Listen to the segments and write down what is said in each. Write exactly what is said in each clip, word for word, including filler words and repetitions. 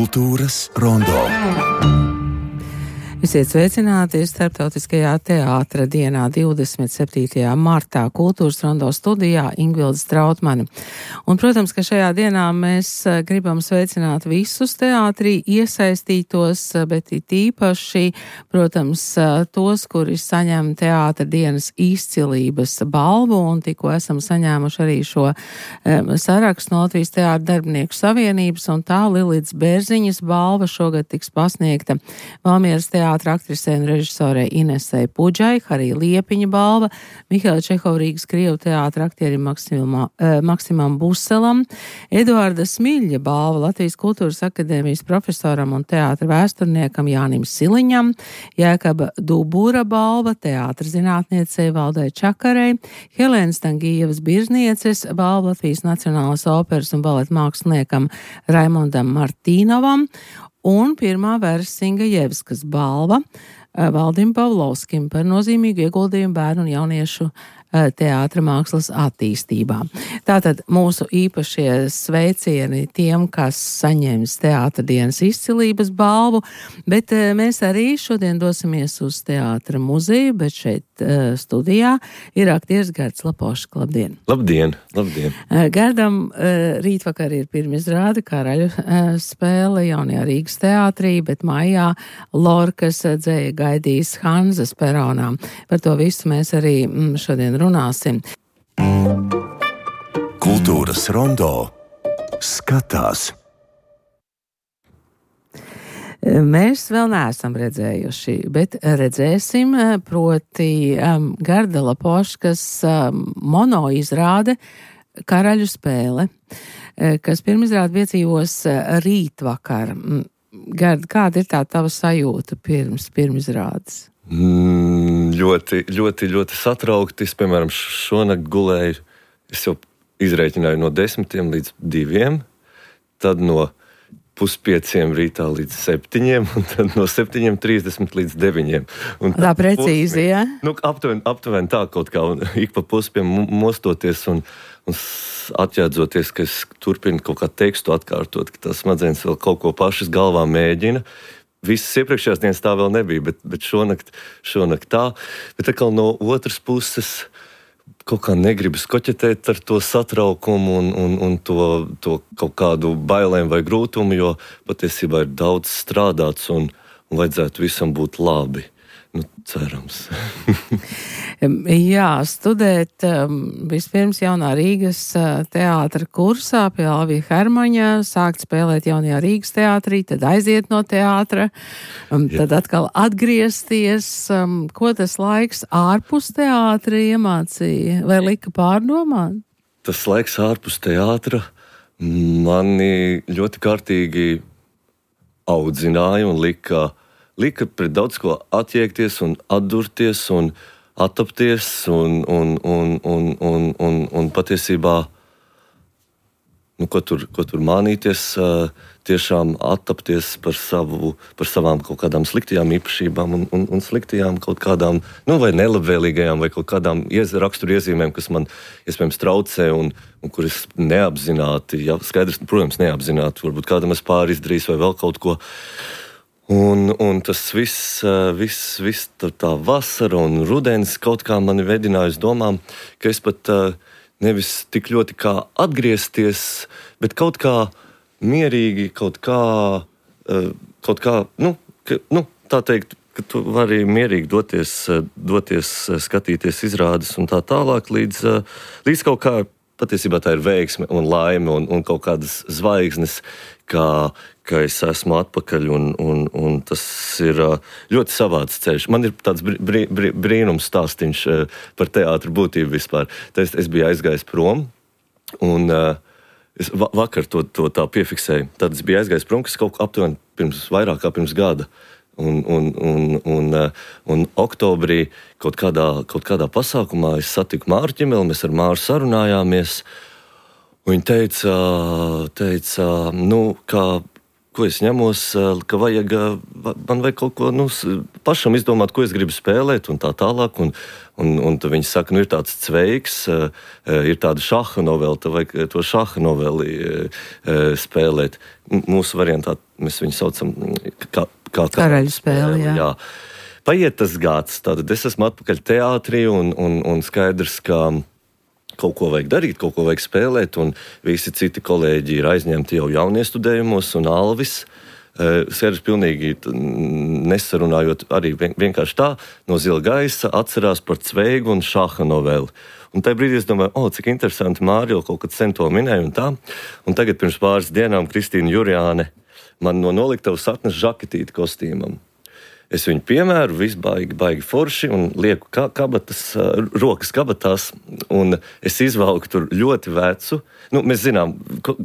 Kultūras rondo. Esiet sveicināti Starptautiskajā teātra dienā divdesmit septītajā martā Kultūras rondo studijā Ingvilde Strautmane. Un, protams, ka šajā dienā mēs gribam sveicināt visus teātrī iesaistītos, bet it īpaši, protams, tos, kuri saņem teātra dienas izcilības balvu, un tikko esam saņēmuši arī šo um, sarakstu no Latvijas teātra darbinieku savienības, un tā Lilītas Bērziņas balva šogad tiks pasniegta Valmieras teātra aktrisei un režisorei Inesei Pudžai, arī Liepiņa balva, Mihaila Čehova Rīgas Krievu teātra aktierim Maksimam, eh, Maksimam Buselam, Eduarda Smiļa balva Latvijas Kultūras akadēmijas profesoram un teātra vēsturniekam Jānim Siliņam, Jēkaba Dubura balva teātra zinātniecei Valdai Čakarei, Helēnas Tangijevas Birznieces balva Latvijas Nacionālās operas un baleta māksliniekam Raimondam Martīnovam, un pirmā Vērsinga Jevskas balva Valdim Pavlovskim par nozīmīgu ieguldījumu bērnu un jauniešu teātra mākslas attīstībā. Tātad mūsu īpašie sveicieni tiem, kas saņems teātra dienas izcilības balvu, bet mēs arī šodien dosimies uz teātra muzeju, bet šeit studijā ir aktieris Gards Lapošs. Labdien! Labdien! Labdien! Gardam rītvakar ir pirmizrāde Karaļu spēle jaunajā Rīgas teātrī, bet maijā Lorkas dzēja gaidīs Hanzas peronā. Par to visu mēs arī šodien runāsim. Kultūras rondo skatās. Mēs vēl neesam redzējuši, bet redzēsim, proti um, Garda Lapoškas um, mono izrāde Karaļu spēle, kas pirmizrāde piedzīvos rītvakar. Garda, kāda ir tā tava sajūta pirms pirmizrādes? Mm, ļoti, ļoti, ļoti satraukti. Es, piemēram, šonakt gulēju, es jau izrēķināju no desmitiem līdz diviem, tad no puspieciem rītā līdz septiņiem, un tad no septiņiem trīsdesmit līdz deviņiem. Un tā precīzi, jā? Ja? Nu, aptuveni, aptuveni tā kaut kā, un ik pa puspiem mostoties un, un atjēdzoties, ka es turpinu kaut kā tekstu atkārtot, ka tās smadzenes vēl kaut ko pašas galvā mēģina. Visas iepriekšējās dienas tā vēl nebija, bet, bet šonakt, šonakt tā. Bet atkal no otras puses kaut kā negribu skoķetēt ar to satraukumu un, un, un to, to kaut kādu bailēm vai grūtumu, jo patiesībā ir daudz strādāts un, un vajadzētu visam būt labi. Nu, cerams. Jā, studēt um, vispirms jaunā Rīgas uh, teātra kursā pie Alvija Hermaņa, sākt spēlēt jaunajā Rīgas teātrī, tad aiziet no teātra, um, tad atkal atgriezties. Um, ko tas laiks ārpus teātra iemācīja vai lika pārdomāt? Tas laiks ārpus teātra mani ļoti kārtīgi audzināja un lika Lika pret daudz ko attiekties un atdurties un attapties un, un, un, un, un, un, un patiesībā, nu, ko tur, ko tur mānīties, tiešām attapties par, savu, par savām kaut kādām sliktajām īpašībām un, un, un sliktajām kaut kādām, nu, vai nelabvēlīgajām vai kaut kādām iez, raksturu iezīmēm, kas man iespējams traucē un, un kuras neapzināti, jā, skaidrs, protams, neapzināti, varbūt kādam es pāri izdarījis vai vēl kaut ko. Un, un tas viss, viss, viss tā, tā vasara un rudens kaut kā mani vedināja uz domām, ka es pat nevis tik ļoti kā atgriezties, bet kaut kā mierīgi, kaut kā, kaut kā nu, ka, nu, tā teikt, ka tu vari mierīgi doties, doties skatīties izrādes un tā tālāk līdz, līdz kaut kā, patiesībā tā ir veiksme un laime un, un kaut kādas zvaigznes, kā, ka es esmu atpakaļ un, un, un tas ir ļoti savāds ceļš. Man ir tāds brī, brī, brīnums stāstiņš par teātra būtību vispār. Tad es, es biju aizgājis prom un es vakar to, to tā piefiksēju. Tad es biju aizgājis prom, kas kaut aptuveni pirms vairāk kā pirms gada. Un, un, un, un, un oktobrī kaut kādā, kaut kādā pasākumā es satiku Māru Ķimeli, mēs ar Māru sarunājāmies. Viņa teica, teica nu, kā ko es ņemos, ka vajag, man vajag kaut ko nu, pašam izdomāt, ko es gribu spēlēt un tā tālāk. Un, un, un tad viņi saka, nu ir tāds cveiks, ir tāda šaha novela, tad vajag to šaha noveli spēlēt. Mūsu variantā mēs viņu saucam kā, kā karaļu spēle, jā. jā. Paiet tas gads, tātad es esmu atpakaļ teātrī un, un, un skaidrs, ka kaut ko vajag darīt, kaut ko vajag spēlēt, un visi citi kolēģi ir aizņemti jau jauniestudējumos, un Alvis, Sērs pilnīgi nesarunājot, arī vienkārši tā, no zila gaisa atcerās par cveigu un šaha noveli. Un tajā brīdī es domāju, o, cik interesanti, Mārija kaut kad sen to minēja un tā. Un tagad pirms pāris dienām Kristīna Jurjāne man no noliktavas atnes žaketīti kostīmam. Es viņu piemēru, viss baigi, baigi forši un lieku ka, kabatas, rokas kabatās, un es izvalku tur ļoti vecu. Nu, mēs zinām, ko,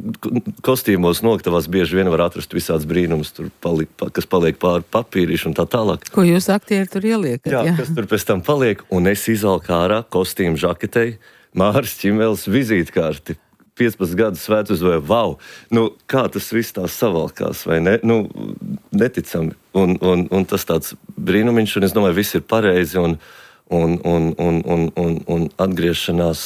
kostīmos noliktavās bieži vien var atrast visāds brīnums, tur paliek, kas paliek pāri papīrīši un tā tālāk. Ko jūs aktieri tur ieliekat? Jā, jā, kas tur pēc tam paliek, un es izvalku ārā kostīmu žaketei, Māris Čimēls vizītkārti. piecpadsmit gadus svētus vai wow, nu, kā tas viss tā savalkās, vai ne? Nu, neticami. Un, un, un tas tāds brīnumiņš, un es domāju, viss ir pareizi, un, un, un, un, un, un, un atgriešanās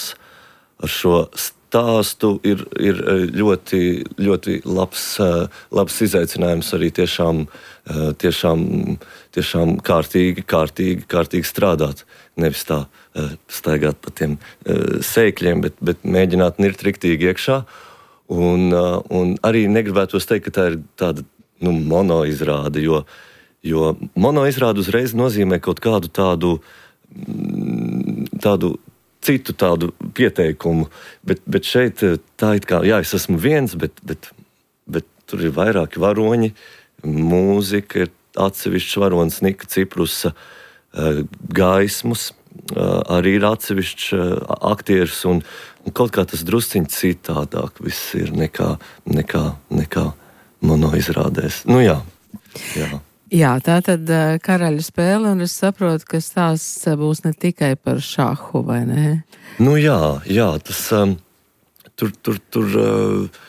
ar šo stāstu ir, ir ļoti, ļoti labs, labs izaicinājums arī tiešām, tiešām, tiešām kārtīgi, kārtīgi, kārtīgi strādāt. Nevis tā staigāt pa tiem sēkļiem, bet, bet mēģināt nirt riktīgi iekšā. Un, un arī negribētos teikt, ka tā ir tāda nu, monoizrāde, jo, jo monoizrāde uzreiz nozīmē kaut kādu tādu, tādu citu tādu pieteikumu, bet, bet šeit tā it kā, jā, es esmu viens, bet, bet, bet tur ir vairāki varoņi, mūzika, ir atsevišķs varonis Nika Ciprusa, gaismas, arī ir atsevišķs aktieris, un, un kaut kā tas drusciņ citādāk viss ir nekā, nekā, nekā monoizrādēs. Nu jā, jā. Jā, tā tad karaļu spēle, un es saprotu, ka stāsts būs ne tikai par šahu, vai ne? Nu jā, jā, tas um, tur, tur, tur uh,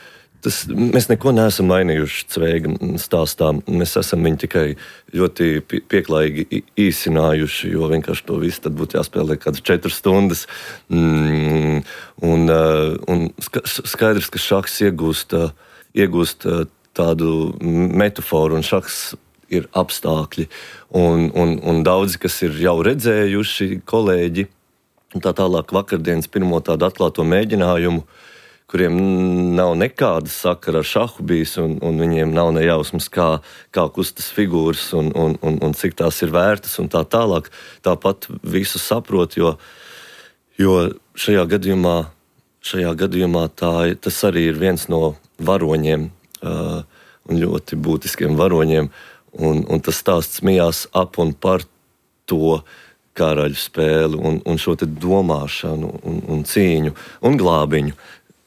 Tas, mēs neko neesam mainījuši cveiga stāstā. Mēs esam viņu tikai ļoti pieklājīgi īsinājuši, jo vienkārši to visu tad būtu jāspēlē kādas četras stundas. Mm, un, un skaidrs, ka šahs iegūst, iegūst tādu metaforu, un šahs ir apstākļi. Un, un, un daudzi, kas ir jau redzējuši, kolēģi, un tā tālāk vakardienas pirmo tādu atklāto mēģinājumu, kuriem nav nekāda sakara ar šahu bijis, un, un viņiem nav nejausmas, kā, kā kustas figūras un, un, un, un cik tās ir vērtas un tā tālāk. Tāpat visu saprot, jo, jo šajā gadījumā, šajā gadījumā tā, tas arī ir viens no varoņiem uh, un ļoti būtiskiem varoņiem, un, un tas stāsts mijās ap un par to karaļu spēli un, un šo te domāšanu un, un cīņu un glābiņu.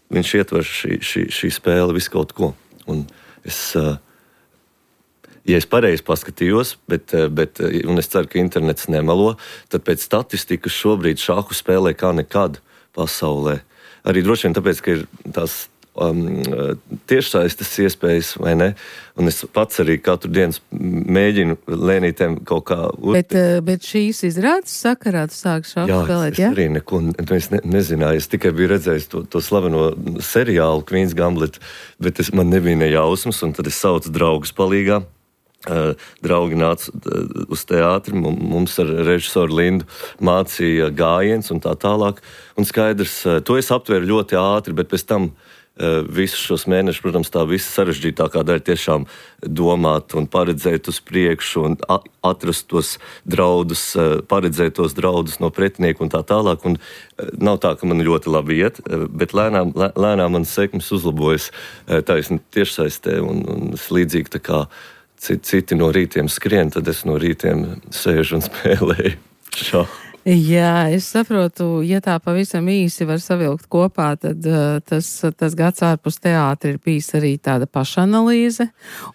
Viņš ietver šī, šī, šī spēle visu kaut ko. Un es, ja es pareizi paskatījos, bet, bet, un es ceru, ka internets nemelo, tad pēc statistikas šobrīd šahu spēlē kā nekad pasaulē. Arī droši vien tāpēc, ka ir tās um, tiešsaistes iespējas, vai ne? Un es pats arī katru dienu mēģinu lēnītēm kaut kā... Bet, bet šīs izrādes sakarā tu sāki šāku spēlēt, jā? Jā, es arī neko es ne, nezināju. Es tikai biju redzējis to, to slaveno seriālu Queen's Gamblet, bet es, man nebija ne jausmas, un tad es saucu draugus palīgā. Uh, draugi nāca uh, uz teātri, mums ar režisoru Lindu mācīja gājiens un tā tālāk. Un skaidrs, uh, to es aptvēru ļoti ātri, bet pēc tam Uh, visus šos mēnešus, protams, tā visa sarežģītākā daļa tiešām domāt un paredzēt uz priekšu un atrast tos draudus, uh, paredzēt tos draudus no pretinieku un tā tālāk. Un uh, nav tā, ka man ļoti labi iet, uh, bet lēnām, lē, lēnām man sekmes uzlabojas uh, taisni tiešsaistē un, un es līdzīgi tā kā citi, citi no rītiem skrien, tad es no rītiem sēžu un spēlēju šādu. Jā, es saprotu, ja tā pavisam īsi var savilkt kopā, tad uh, tas, tas gads ārpus teātra ir bijis arī tāda pašanalīze.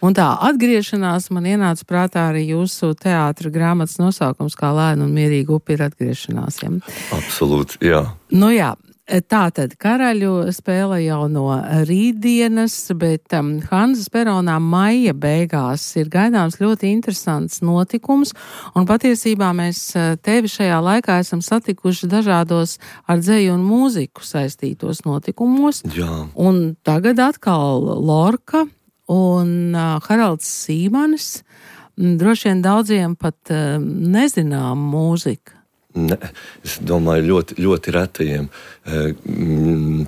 Un tā atgriešanās man ienāca prātā arī jūsu teātra grāmatas nosaukums, kā Lēna un mierīga upe ir atgriešanās. Ja? Absolūti, jā. Nu jā, Tātad Karaļu spēle jau no rītdienas, bet um, Hanzas peronā maija beigās ir gaidāms ļoti interesants notikums, un patiesībā mēs tevi šajā laikā esam satikuši dažādos ar dzeju un mūziku saistītos notikumos. Jā. Un tagad atkal Lorka un uh, Haralds Sīmanis, droši vien daudziem pat uh, nezinām mūzika. Ne, es domāju, ļoti, ļoti retajiem.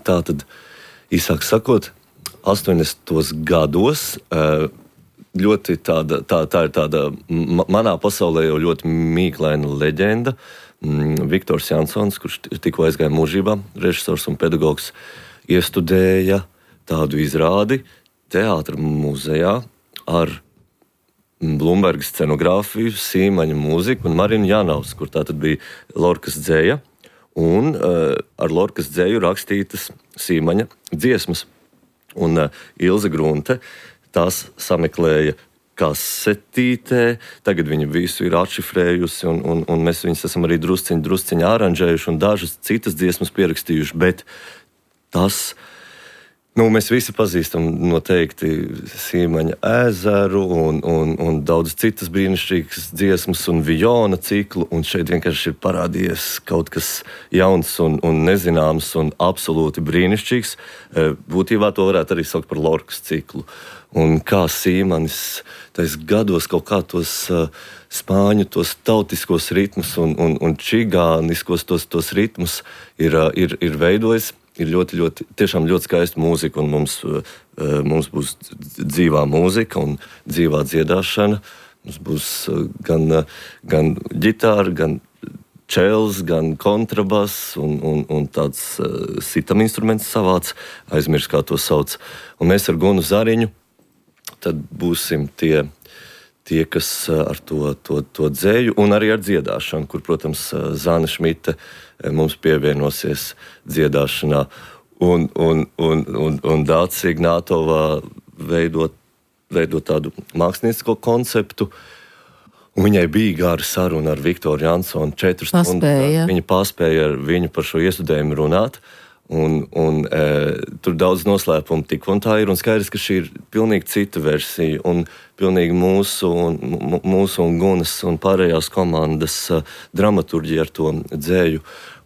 Tā tad, īsāk sakot, astoņdesmitos gados ļoti tāda, tā, tā ir tāda manā pasaulē jau ļoti mīklaina leģenda. Viktors Jansons, kurš tikko aizgāja mūžībā, režisors un pedagogs, iestudēja tādu izrādi teātra muzejā ar Blumberga scenogrāfiju, Sīmaņa mūziku un Marinu Jānaus, kur tā tad bija Lorkas dzeja un uh, ar Lorkas dzeju rakstītas Sīmaņa dziesmas. Un uh, Ilze Grunte tās sameklēja kasetītē, tagad viņa visu ir atšifrējusi un, un, un mēs viņas esam arī drusciņi, drusciņi aranžējuši un dažas citas dziesmas pierakstījuši, bet tas... Nu, mēs visi pazīstam noteikti Sīmaņa ezeru un, un, un daudz citas brīnišķīgas dziesmas un Vijona ciklu, un šeit vienkārši ir parādījies kaut kas jauns un, un nezināms un absolūti brīnišķīgs. Būtībā to varētu arī saukt par Lorkas ciklu. Un kā Sīmanis tais gados kaut kā tos uh, spāņu, tos tautiskos ritmus un, un, un čigāniskos tos, tos ritmus ir, uh, ir, ir veidojis. Ir ļoti, ļoti, tiešām ļoti skaista mūzika, un mums, mums būs dzīvā mūzika un dzīvā dziedāšana. Mums būs gan, gan ģitāra, gan čels, gan kontrabass un, un, un tāds sitam instruments savāds, aizmirst, kā to sauc. Un mēs ar Gunu Zariņu tad būsim tie, tie kas ar to, to, to dzēju un arī ar dziedāšanu, kur, protams, Zāne Šmite mums pievienosies dziedāšanā. Un, un, un, un, un Dācis Ignātovā veidot, veidot tādu māksliniecisko konceptu. Un viņai bija gara saruna ar Viktoru Jansonu. Četras stundas viņa paspēja ar viņu par šo iestudējumu runāt. Un, un, e, tur daudz noslēpumu tik un tā ir. Un skaidrs, ka šī ir pilnīgi cita versija. Un pilnīgi mūsu un, mūsu un Gunas un pārējās komandas uh, dramaturģija ar to dzēju.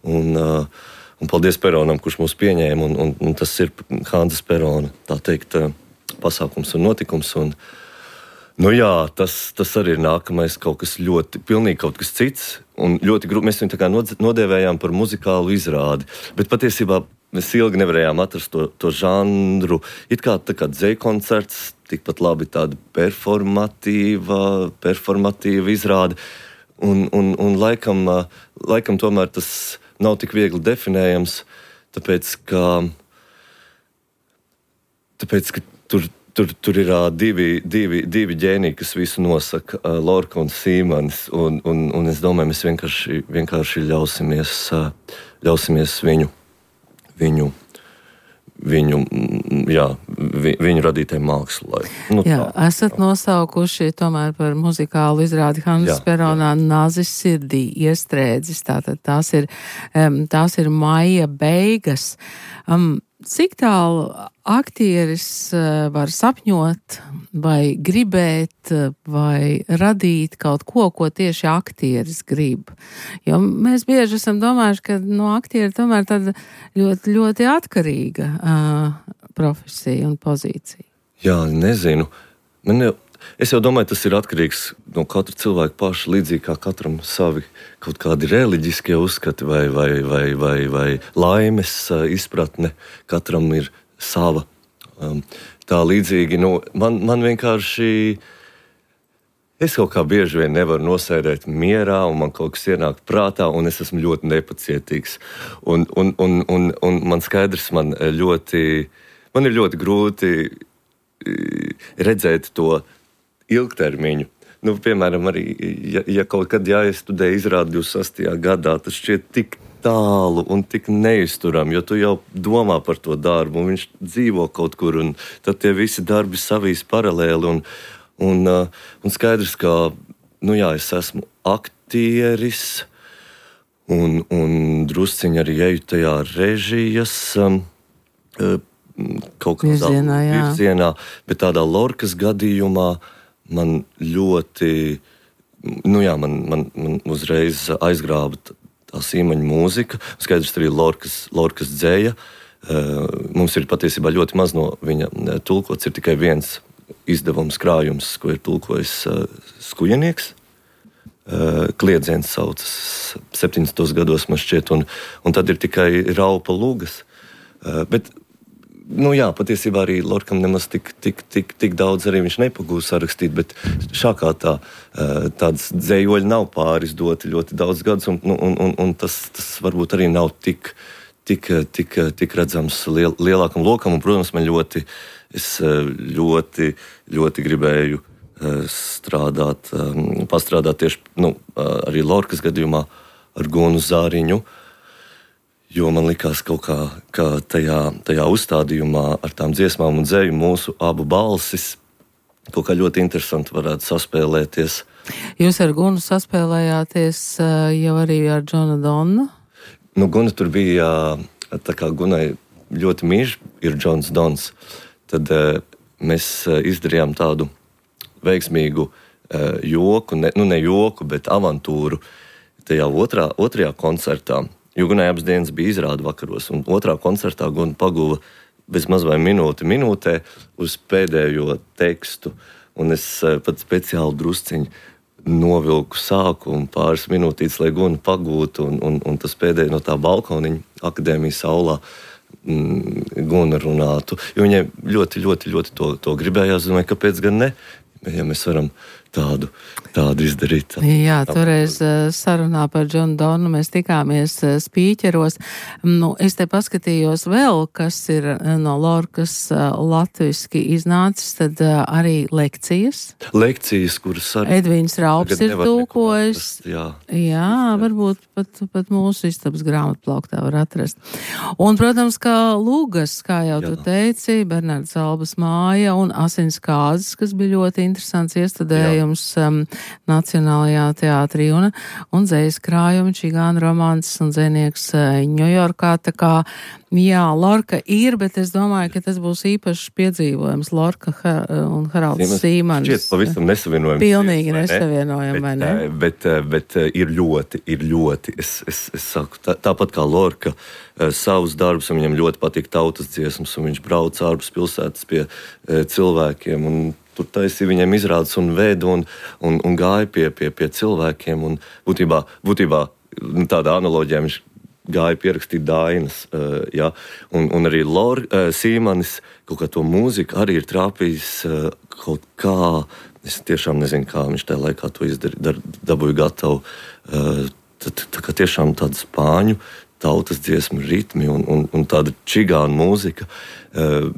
Un, uh, un paldies Peronam, kurš mūs pieņēma. Un, un, un tas ir Hanzas Perona, tā teikt, uh, pasākums un notikums. Un, nu jā, tas, tas arī ir nākamais kaut kas ļoti, pilnīgi kaut kas cits. Un ļoti grūti mēs viņu tā kā nodēvējām par muzikālu izrādi. Bet patiesībā mēs ilgi nevarējām atrast to, to žanru. It kā tā kā dzeju koncerts, tikpat labi tāda performatīva, performatīva izrāde. Un, un, un laikam, laikam tomēr tas nav tik viegli definējams, tāpēc ka, tāpēc, ka tur, tur, tur ir divi, divi, divi ģēniji, kas visu nosaka, Lorka un Sīmanis. Un, un, un es domāju, mēs vienkārši, vienkārši ļausimies, ļausimies viņu, viņu Viņu, jā, vi, viņu radītai mākslai. Nu, jā, tā, esat tā. Nosaukuši tomēr par muzikālu izrādi Hanzas Peronā Nāzis sirdī iestrēdzis. Tātad tās ir, um, tās ir maija beigas. Um, cik tālu aktieris uh, var sapņot vai gribēt vai radīt kaut ko, ko tieši aktieris grib? Jo mēs bieži esam domājuši, ka no aktieri tomēr tāda ļoti, ļoti atkarīga uh, profesija un pozīcija. Jā, nezinu. Man jau, es jau domāju, tas ir atkarīgs no katra cilvēka paša, līdzīgi kā katram savi kaut kādi reliģiskie uzskati vai, vai, vai, vai, vai laimes uh, izpratne. Katram ir sava. Um, tā līdzīgi, nu, man, man vienkārši, es kaut kā bieži vien nevaru nosēdēt mierā, un man kaut kas ienāk prātā, un es esmu ļoti nepacietīgs. Un, un, un, un, un man skaidrs, man ļoti, man ir ļoti grūti redzēt to ilgtermiņu. Nu, piemēram, arī, ja, ja kaut kad jāiestudē izrādi divdesmit sastajā gadā, tas šķiet tik tālu un tik neizturam, jo tu jau domā par to darbu, un viņš dzīvo kaut kur, un tad tie visi darbi savīs paralēli, un, un, un skaidrs, ka, nu jā, es esmu aktieris, un, un drusciņi arī eju tajā režijas um, kaut kādā virzienā, virzienā, bet tādā Lorkas gadījumā man ļoti, nu jā, man, man, man uzreiz aizgrāba tā Sīmaņa mūzika, skaidrs arī Lorkas, Lorkas dzēja. Mums ir patiesībā ļoti maz no viņa tulkots, ir tikai viens izdevums krājums, ko ir tulkojis skujenieks. Kliedziens saucas septiņdesmitos gados man šķiet, un, un tad ir tikai Raupa Lugas. Bet, nu jā, patiesībā arī Lorkam nemaz tik, tik, tik, tik daudz arī viņš nepagūs sarakstīt, bet šākā tā, tādas dzējoļi nav pārizdoti ļoti daudz gadus, un, un, un, un tas, tas varbūt arī nav tik, tik, tik, tik redzams liel, lielākam lokam, un, protams, man ļoti, es ļoti, ļoti gribēju strādāt, pastrādāt tieši, nu, arī Lorkas gadījumā ar Gunu Zāriņu, jo man likās kaut kā, ka tajā, tajā uzstādījumā ar tām dziesmām un dzēju mūsu abu balsis kaut kā ļoti interesanti varētu saspēlēties. Jūs ar Gunu saspēlējāties jau arī ar Džonu Donnu? Nu, Guna tur bija, tā kā Gunai ļoti mīļš ir Džons Dons, tad mēs izdarījām tādu veiksmīgu joku, ne, nu ne joku, bet avantūru tajā otrā, otrajā koncertā. Jo Gunai abas dienas bija izrāda vakaros, un otrā koncertā Guna paguva bez maz vai minūti minūtē uz pēdējo tekstu, un es pat speciāli drusciņu novilku sākumu pāris minūtītes, lai Guna pagūtu, un, un, un tas pēdējais no tā balkoniņa akadēmijas aulā mm, Guna runātu, jo viņai ļoti, ļoti, ļoti to, to gribējās, domāju, kāpēc gan ne, ja mēs varam tādu, tādu izdarīt. Jā, toreiz sarunā par Džonu Donu mēs tikāmies spīķeros. Nu, es te paskatījos vēl, kas ir no Lorkas latviski iznācis, tad arī lekcijas. Lekcijas, kuras arī Edvīns Raups ir tulkojis. Jā, jā, varbūt pat, pat mūsu istabas grāmatplauktā var atrast. Un, protams, kā Lūgas, kā jau jā. Tu teici, Bernards Albas māja un Asins kāzas, kas bija ļoti interesants iestudējums um, Nacionālajā teātrī un, un dzējas krājumi, čigānu romāns un dzēnieks uh, Ņujorkā. Tā kā, jā, Lorka ir, bet es domāju, ka tas būs īpašs piedzīvojums. Lorka ha, un Haralds Sīmanis. Šķiet pavisam nesavienojami. Pilnīgi nesavienojami, vai ne? Bet, bet, bet ir ļoti, ir ļoti, es, es, es saku, tā, tāpat kā Lorka savus darbus, un viņam ļoti patīk tautas dziesmas, un viņš brauc ārpus pilsētas pie cilvēkiem, un tur taisīja viņiem izrādes un veidu un, un, un gāja pie, pie, pie cilvēkiem. Un būtībā, būtībā tādā analoģijā viņš gāja pierakstīt dainas. Uh, ja? un, un arī Lor, uh, Sīmanis kaut kā to mūziku arī ir trāpījis uh, kaut kā, es tiešām nezinu, kā viņš tajā laikā to izdarīja, dabūja gatavu. Uh, tā, tā kā tiešām tāda spāņu tautas dziesmu ritmi un, un, un tāda čigāna mūzika uh,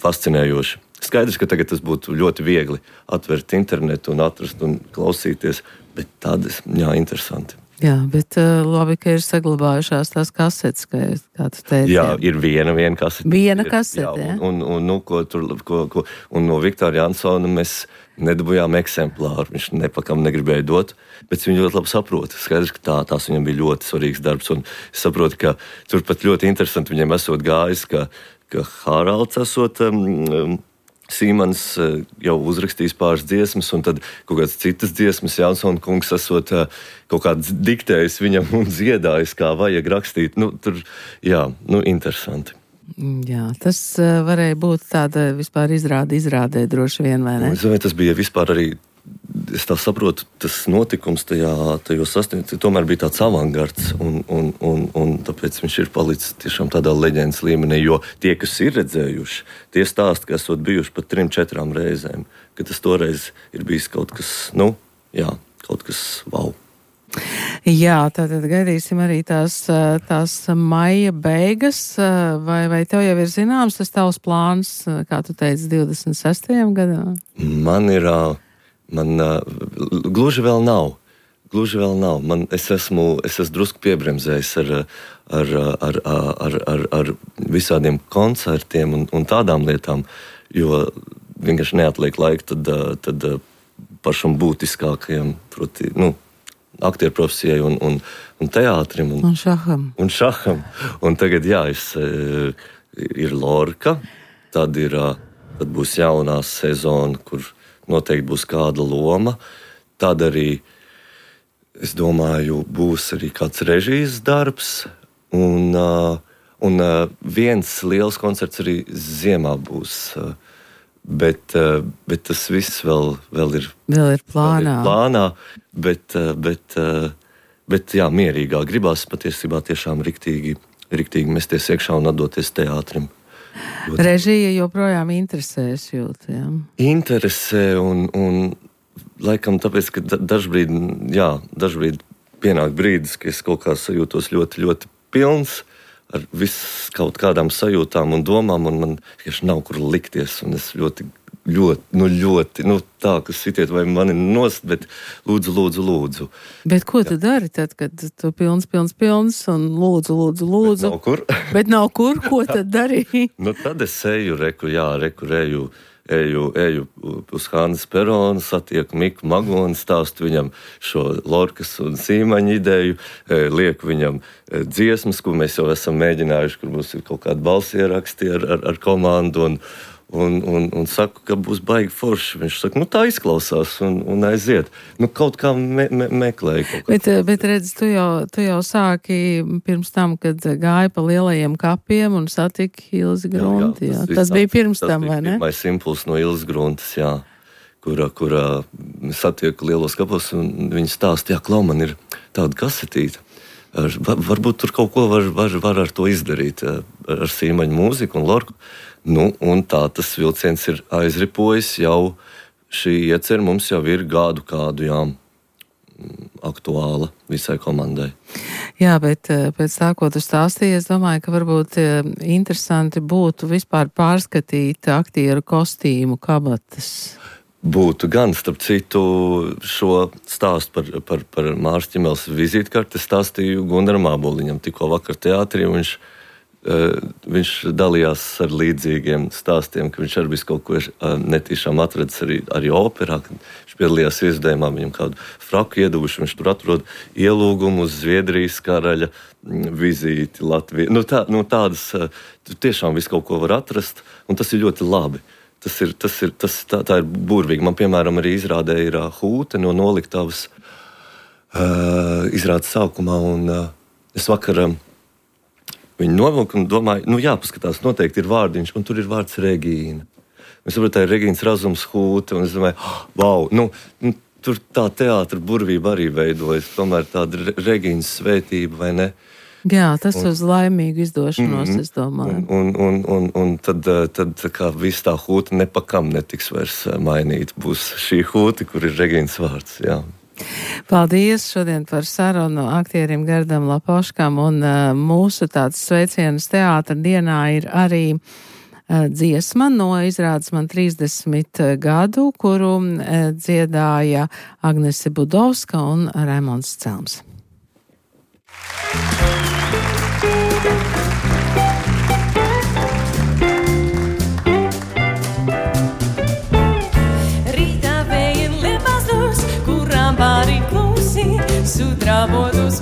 fascinējoša. Skaidrs, ka tagad tas būtu ļoti viegli atvērt internetu un atrast un klausīties, bet tādas, jā, interesanti. Jā, bet uh, labi, ka ir saglabājušās tās kasetes, kā, kā tu teici. Jā, ir viena, viena kasete. Viena kasete, jā. Un, un, un, nu, ko tur, ko, ko, un no Viktora Jansona mēs nedabūjām eksemplāru. Viņš nepakam negribēja dot, bet viņš ļoti labi saprota. Skaidrs, ka tā, tās viņam bija ļoti svarīgs darbs, un es saprotu, ka tur pat ļoti interesanti viņiem esot gājis, ka, ka Haralds esot um, Sīmanis jau uzrakstījis pāris dziesmas, un tad kaut kādas citas dziesmas Jansona kungs esot kaut kādas diktējis viņam un dziedājis, kā vajag rakstīt. Nu, tur, jā, nu, interesanti. Jā, tas varēja būt tāda vispār izrāde, izrādē droši vien, vai ne? Es domāju, tas bija vispār arī, es tā saprotu, tas notikums tajā, tajos sasniegts, tomēr bija tāds avangards, un, un, un, un tāpēc viņš ir palicis tiešām tādā leģendas līmenī, jo tie, kas ir redzējuši, tie stāsti, ka esot bijuši pat trim, četrām reizēm, ka tas toreiz ir bijis kaut kas, nu, jā, kaut kas wow. Jā, tātad gaidīsim arī tās, tās maija beigas, vai, vai tev jau ir zināms tas tavs plāns, kā tu teici, divdesmit sestajam gadam? Man ir, man gluži vēl nav, gluži vēl nav. Man, es esmu, es esmu drusku piebremzējis ar, ar, ar, ar, ar, ar visādiem koncertiem un, un tādām lietām, jo vienkārši neatliek laika tad, tad pašam būtiskākajam, proti, nu, aktieru profesijai un, un, un teātrim. Un, un šaham. Un šaham. Un tagad, jā, es, ir Lorka, tad, ir, tad būs jaunā sezona, kur noteikti būs kāda loma. Tad arī, es domāju, būs arī kāds režijas darbs. Un, un viens liels koncerts arī ziemā būs. Bet, bet tas viss vēl, vēl ir, vēl ir plānā. Vēl ir plānā bet, bet, bet jā, mierīgā. Gribās patiesībā tiešām riktīgi, riktīgi mesties iekšā un atdoties teātrim. Ļoti. Režija joprojām interesēs jūt, jā? Interesē un, un laikam tāpēc, ka dažbrīd, jā, dažbrīd pienāk brīdis, ka es kaut kā sajūtos ļoti, ļoti pilns. Ar viss kaut kādām sajūtām un domām, un man tieši nav kur likties, un es ļoti, ļoti, nu ļoti, nu tā, ka sitiet vai mani nost, bet lūdzu, lūdzu, lūdzu. Bet ko tu dari tad, kad tu pilns, pilns, pilns, un lūdzu, lūdzu, lūdzu? Bet nav kur. Bet nav kur, ko tad darīji? Nu tad es eju, reku, jā, reku, eju, eju, eju uz Hannes peronu, satieku Miku Magoni, stāstu viņam šo Lorkas un Sīmaņa ideju, lieku viņam dziesmas, ko mēs jau esam mēģinājuši, kur mums ir kaut kādi balsieraksti ar, ar, ar komandu, un, un, un, un saku, ka būs baigi forši. Viņš saka, nu tā izklausās, un, un aiziet. Nu kaut kā me, me, meklēju kaut kā. Bet, bet redz, tu jau, tu jau sāki pirms tam, kad gāji pa lielajiem kapiem un satiki Ilzi Grunti. Jā, jā, tas, tas bija pirms tam, vai ne? Tas bija pirmais impulss no Ilzes Gruntes, jā, kurā, kurā satieku lielos kapos, un viņi stāsta, jā, klau, man ir tāda kasetīta. Ar, varbūt tur kaut ko var, var, var ar to izdarīt, ar, ar Sīmaņu mūziku un Lorku. Nu, un tā tas vilciens ir aizripojis jau, šī iecer mums jau ir gadu kādu, jā, aktuāla visai komandai. Jā, bet pēc tā, ko tu stāstīji, es domāju, ka varbūt interesanti būtu vispār pārskatīt aktieru kostīmu kabatas. Būtu gan, starp citu, šo stāstu par, par, par Mārs Ķimeles vizītkarti stāstīju Gundaram Āboliņam. Tikko vakar teātrī viņš, uh, viņš dalījās ar līdzīgiem stāstiem, ka viņš arī visu kaut ko uh, netīšām atradis arī, arī operā. Viņš piedalījās izdevumā, viņam kādu fraku ieduvuši, viņš tur atrod ielūgumu uz Zviedrijas karaļa vizīti Latvijā. Nu, tā, nu tādas, uh, tiešām visu kaut ko var atrast, un tas ir ļoti labi. Tas ir, tas ir, tas, tā, tā ir burvīgi. Man, piemēram, arī izrādē ir uh, Hūte no Noliktavas uh, izrādes sākumā, un uh, es vakar um, viņu novilku un domāju, nu jā, paskatās, noteikti ir vārdiņš, un tur ir vārds Regīna. Es saprotu, tā ir Regīnas Razums Hūte, un es domāju, oh, wow, nu, nu, tur tā teātra burvība arī veidojas, tomēr tāda Regīnas svētība, vai ne? Jā, tas un, uz laimīgu izdošanos, mm, es domāju. Un, un, un, un tad, tad kā viss tā Hūte nepakam netiks vairs mainīt. Būs šī Hūte, kur ir Regīnas vārds, jā. Paldies šodien par sarunu aktierim Gerdam Lapoškam, un uh, mūsu tāds sveicienas teātra dienā ir arī uh, dziesma no izrādes Man trīsdesmit gadu, kuru uh, dziedāja Agnese Budovska un Raimonds Celms. Rītā vējiem liepās dūrs, kurām pārī klusi, sudrabotus